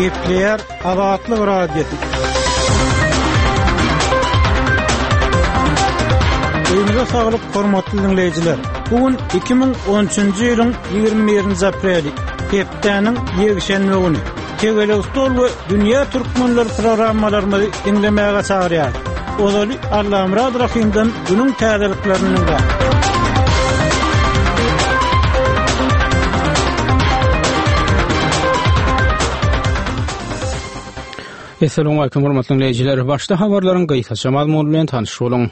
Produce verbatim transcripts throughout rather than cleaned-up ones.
Gepleýär Azatlyk Radiosy. Öýüňize saglyk, hormatly diňleýjiler. Bu gün iki müň on üçünji ýylyň ýigrimi birinji apreli, hepdäniň ýekşenbe güni. Tegelek stol we Dünýä Türkmenleri programmalarymyzy diňlemäge çagyrýar. Ozaly Allamyrat Rahymdan günüň täzeliklerini diňläň. Esselamu aleýkum hormatly dinleýjiler. Başda habarlaryň gysgaça mazmuny bilen tanyş boluň.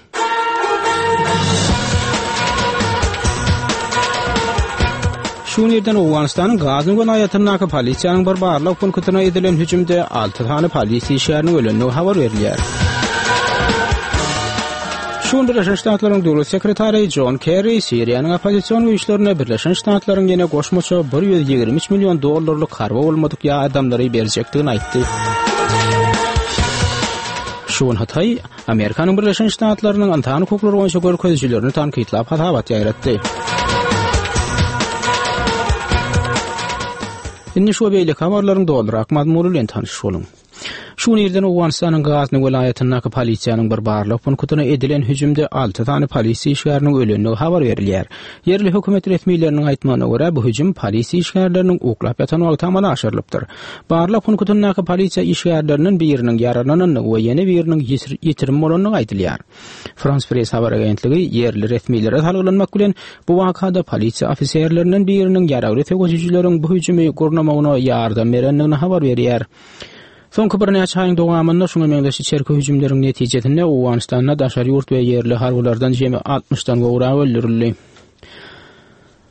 Şu gün irden Owganystanyň Gazny welaýatyndaky polisiýanyň bir barlag punktyna edilen hüjümde alty sany polisiýa işgäriniň ölendigi habar berilýär. Şu gün Birleşen Ştatlaryň Döwlet sekretary Jon Kerri Siriýanyň oppozision güýçlerine Birleşen Ştatlaryň ýene goşmaça bir ýüz ýigrimi üç million dollarlyk harby bolmadyk ýardamlary berjekdigini aýtdy. Şu gün Hytaý Amerikanyň Birleşen Ştatlarynyň ynsan hukuklary boýunça görkezijilerini tankytlap hasabat ýaýratdy. Indi şu we beýleki habarlaryň dolurak mazmuny bilen tanyş boluň. Şu gün irden Owganystanyň Gazny welaýatyndaky polisiýanyň bir barlag punktyna edilen hüjümde alty sany polisiýa işgäriniň ölendigi habar berilýär. Ýerli hökümet resmileriniň aýtmagyna görä, bu hüjüm polisiýa işgärleriniň uklap ýatan wagty amala aşyrylypdyr. Barlag punktyndaky polisiýa işgärlerinden biriniň ýaralanandygy we ýene biriniň ýitirim bolandygy aýdylýar. Frans Press habar agentligi ýerli resmilere salgylanmak bilen, bu wakada polisiýa ofiserlerinden biriniň ýaragly söweşijileriň bu hüjümi gurnamagyna ýardam berendigini habar berýär. Soňky birnäçe aýyň dowamynda şuňa meňzeş içerki hüjümleriň netijesinde Owganystanda daşary ýurt we ýerli harbylardan jemi altmyşdan gowragy öldürildi.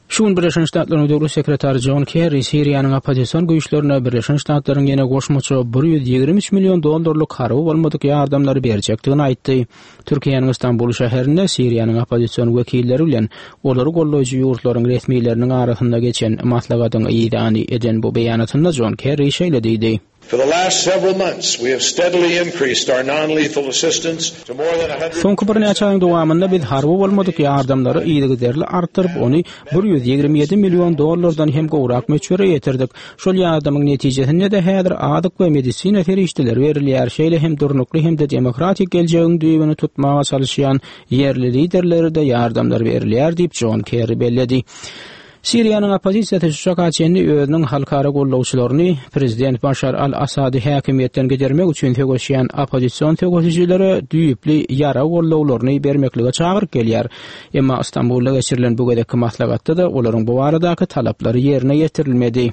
Şu gün Birleşen Ştatlaryň Döwlet sekretary Jon Kerri Siriýanyň oppozision güýçlerine Birleşen Ştatlaryň ýene goşmaça bir ýüz ýigrimi üç million dollarlyk harby bolmadyk ýardamlary berjekdigini aýtdy. Türkiýäniň Stambul şäherinde Siriýanyň oppozision wekilleri bilen olary goldaýjy ýurtlaryň resmileriniň arasynda geçen maslahatyň yzany eden bu beýanatynda Jon Kerri şeýle diýdi. For the last several months, we have steadily increased our non-lethal assistance to more than a hundred Soňky birnäçe aýyň dowamynda biz harby bolmadyk ýardamlary yzygiderli artdyryp, ony bir ýüz ýigrimi ýedi million dollardan hem gowrak möçbere ýetirdik. Şol ýardamyň netijesinde-de häzir azyk we medisina serişdeleri berilýär, şeýle hem durnukly hem-de demokratik geljegiň düýbüni tutmaga çalyşýan ýerli liderlere-de ýardamlar berilýär diýip, Jon Kerri belledi. Siriýanyň oppozisiýasy şu çaka çenli özüniň halkara gollawçylaryny prezident Başar al-Assady häkimiýetden gidermek üçin söweşýän oppozision söweşijilere düýpli ýarag gollawlaryny bermeklige çagyryp gelýär. Emma Stambulda geçirilen bu gezekki maslahatda-da olaryň bu baradaky talaplary ýerine ýetirilmedi.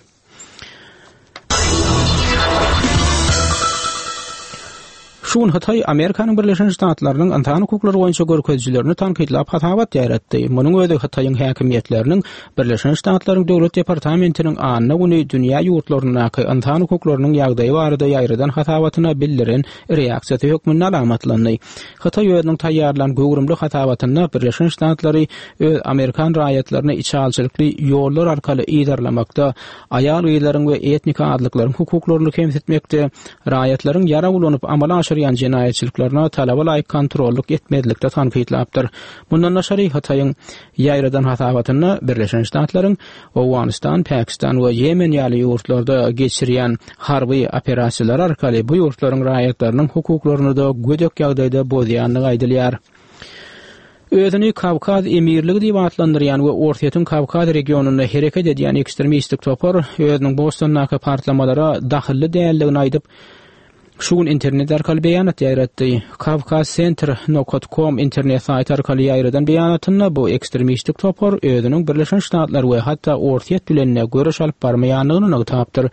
Şu gün Hytaý Amerikanyň Birleşen Ştatlarynyň ynsan hukuklary boýunça görkezijilerini tankytlap hasabat ýaýratdy. Munuň özi Hytaýyň häkimiýetleriniň Birleşen Ştatlaryň Döwlet departamentiniň anna güni dünýä ýurtlaryndaky ynsan hukuklarynyň ýagdaýy barada ýaýradan hasabatyna bildiren reaksiýasy hökmünde alamatlandy. Hytaý özüniň taýýarlan göwrümli hasabatynda Birleşen Ştatlary öz amerikan raýatlaryny içalçylykly ýollar arkaly yzarlamakda, aýal-gyzlaryň we etnik azlyklaryň hukuklaryny kemsitmekde, raýatlaryň ýarag ulanyp amala aşyrýan jenaýatçylyklaryna talaba laýyk kontrollyk etmezlikde tankytlapdyr. Mundan daşary Hytaýyň ýaýradan hasabatynda Birleşen Ştatlaryň Owganystan, Pakistan we Ýemen ýaly ýurtlarda geçirýän harby operasiýalary arkaly bu ýurtlaryň raýatlarynyň hukuklaryny-da gödek ýagdaýda bozýandygy aýdylýar. Özüni Kawkaz emirligi diýip atlandyrýan we Orsýetiň Kawkaz regionynda hereket edýän ekstremistik topar özüniň Bostondaky partlamalara dahylly däldigini aýdyp, şu gün internet arkaly beýanat ýaýratdy. Kawkaz Center nokat com internet saýty arkaly ýaýradan beýanatynda bu ekstremistik topar özüniň Birleşen Ştatlar we hatda Orsýet bilen-de göreş alyp barmaýandygyny nygtapdyr.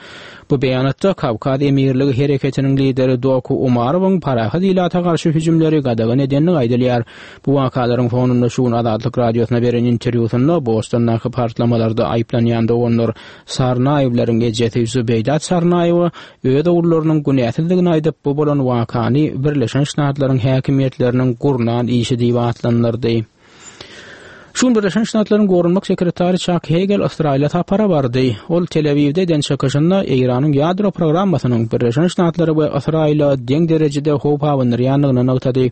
Bu beýanatda Kawkaz emirligi hereketiniň lideri Doku Umarowyň parahat ilata garşy hüjümleri gadagan edendigi aýdylýar. Bu wakalaryň fonunda şu gün Azatlyk Radiosyna beren interwýusynda Bostondaky partlamalarda aýyplanýan doganlar Sarnaýewleriň ejesi Zübeýda Sarnaýewa öz ogullarynyň günäsizdigini aýdyp, bu bolan wakany Birleşen Ştatlaryň häkimiýetleriniň gurnan işi diýip atlandyrdy. Şu gün Birleşen Ştatlaryň Goranmak sekretary Çak Hegel Ysraýyla sapara bardy. Ol Tel-Awiwde eden çykyşynda Eýranyň ýadro programmasynyň Birleşen Ştatlara we Ysraýyla deň derejede howp abandyrýandygyny nygtady.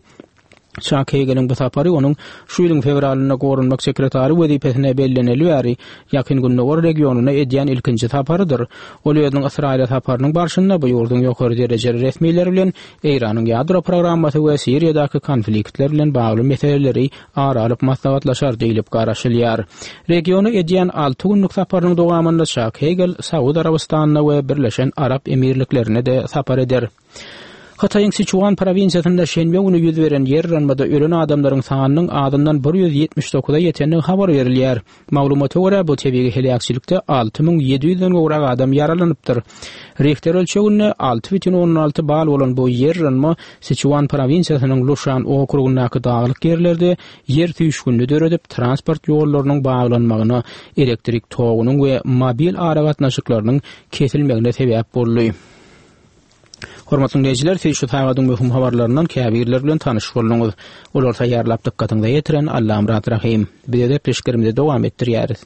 Çak Heýgeliň bu sapary onuň şu ýylyň fewralynda Goranmak sekretary wezipesine belleneli bäri Ýakyn Gündogar regionyna edýän ilkinji saparydyr. Ol özüniň Ysraýyla saparynyň barşynda bu ýurduň ýokary derejeli resmileri bilen Eýranyň ýadro programmasy we Siriýadaky konfliktler bilen bagly meseleleri ara alyp maslahatlaşar diýlip garaşylýar. Regiona edýän alty günlük saparynyň dowamynda Çak Heýgel Saud Arabystanyna we Birleşen Arap Emirliklerine-de sapar eder. Hytaýyň Siçuan prowinsiýasynda şenbe güni ýüz beren ýer yranmada ölen adamlaryň sanynyň azyndan bir ýüz ýetmiş dokuza ýetendigi habar berilýär. Maglumata görä, bu tebigy heläkçilikde alty müň ýedi ýüzden gowrak adam ýaralanypdyr. Rihter ölçeginde alty bütin ondan alty bal bolan bu ýer yranma Siçuan prowinsiýasynyň Luşan okrugyndaky daglyk ýerlerde ýer süýşgünini döredip, transport ýollarynyň baglanmagyna, elektrik togunyň we mobil aragatnaşyklarynyň kesilmegine sebäp boldy. Hormatly diňleýjiler, siz şu sagadyň möhüm habarlaryndan käbirleri bilen tanyş bolduňyz. Olary taýýarlap dykgatyňyza ýetiren Allamyrat Rahym. Biz öz gepleşiklerimizi dowam etdirýäris.